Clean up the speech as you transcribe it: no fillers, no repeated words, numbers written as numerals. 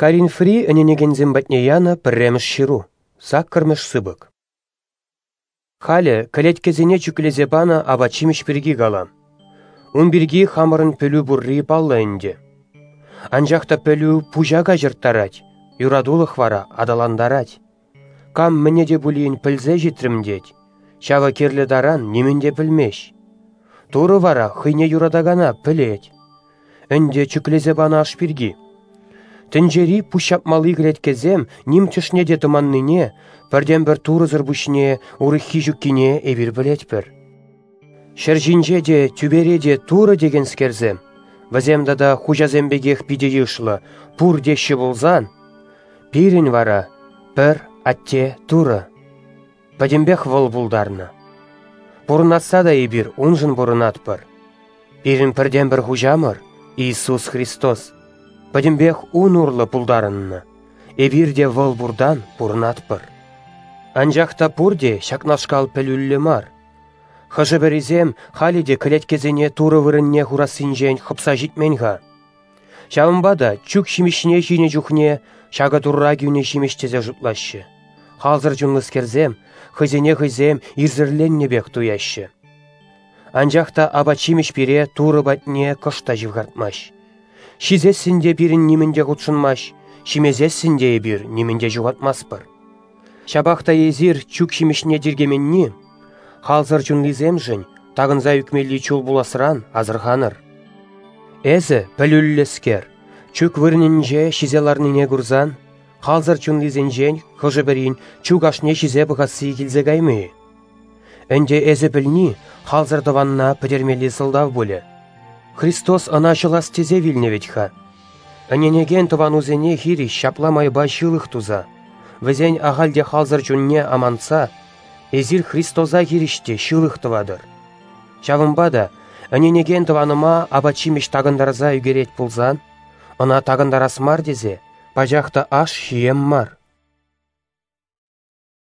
Коринфри ӗненекенсем патне янӑ пӗрремӗш ҫыру, саккӑрмӗш сыпӑк. Халӗ кӗлеткесене чӳклесе панӑ апат-ҫимӗҫ пирки калам. Ун пирки хамӑрӑн пӗлӳ пурри паллӑ ӗнтӗ. Анчах та пӗлӳ пуҫа каҫӑрттарать, юратулӑх вара аталантарать. Кам мӗне те пулин пӗлсе ҫитрӗм тет, ҫавӑ кирлӗ таран нимӗн те пӗлмест. Турӑ вара хӑйне юратакана пӗлет. Ӗнтӗ чӳклесе панӑ аш пирки. Тӗнчери пуҫҫапмалли кӗлеткесем ним тӗшне те тӑманнине, пӗртен-пӗр Турӑсӑр пуҫне урӑххи ҫуккине эпир пӗлетпӗр. Ҫӗр ҫинче те, тӳпере те Турӑ текенскерсем, вӗсем тата хуҫасем пекех питӗ йышлӑ, пур теҫҫӗ пулсан, пирӗн вара пӗр Атте Турӑ. Пӗтӗмпех вӑл пултарнӑ. Пурӑнасса та эпир уншӑн пурӑнатпӑр. Пирӗн пӗртен-пӗр хуҫамӑр, Иисус Христос, пӗтӗмпех ун урлӑ пултарӑннӑ. Эпир те вӑл пуртан пурӑнатпӑр. Анчах та пурте ҫакнашкал пӗлӳллӗ мар. Хӑшӗ-пӗрисем халӗ те кӗлеткесене Турӑ вырӑнне хурассинчен хӑпса ҫитмен-ха. Ҫавӑнпа та чӳк ҫимӗҫне ҫинӗ чухне ҫакӑ Турра кӳнӗ ҫимӗҫ тесе шутлаҫҫӗ. Халсӑр чунлӑскерсем хӑйсене хӑйсем ирсӗрленнӗ пек туяҫҫӗ. Анчах та апат-ҫимӗҫ пире Турӑ патне кӑшт та ҫывхартмасть. Ҫисессӗн те пирӗн нимӗн те хутшӑнмасть, ҫимесессӗн те эпир нимӗн те ҫухатмастпӑр. Ҫапах та эсир чӳк ҫимӗҫне тиркеменни халсӑр чунлисемшӗн такӑнса ӳкмелли чул пуласран асӑрханӑр. Эсӗ, пӗлӳллӗскер, чӳк вырӑнӗнче ҫисе ларнине курсан, халсӑр чунлисенчен хӑшӗ-пӗрин чӳк ашне ҫисе пӑхасси килсе каймӗ-и? Ӗнтӗ эсӗ пӗлни халсӑр тӑванна пӗтермелли сӑлтав пулӗ. Христос ӑна ҫӑлас тесе вилнӗ вӗт-ха. Ӗненекен тӑванусене хирӗҫ ҫапла майпа ҫылӑх туса, вӗсен ахаль те халсӑр чунне амантса, эсир Христоса хирӗҫ те ҫылӑх тӑватӑр. Ҫавӑнпа та ӗненекен тӑванӑма апат-ҫимӗҫ такӑнтарса ӳкерет пулсан, ӑна такӑнтарас мар тесе пачах та аш ҫием мар.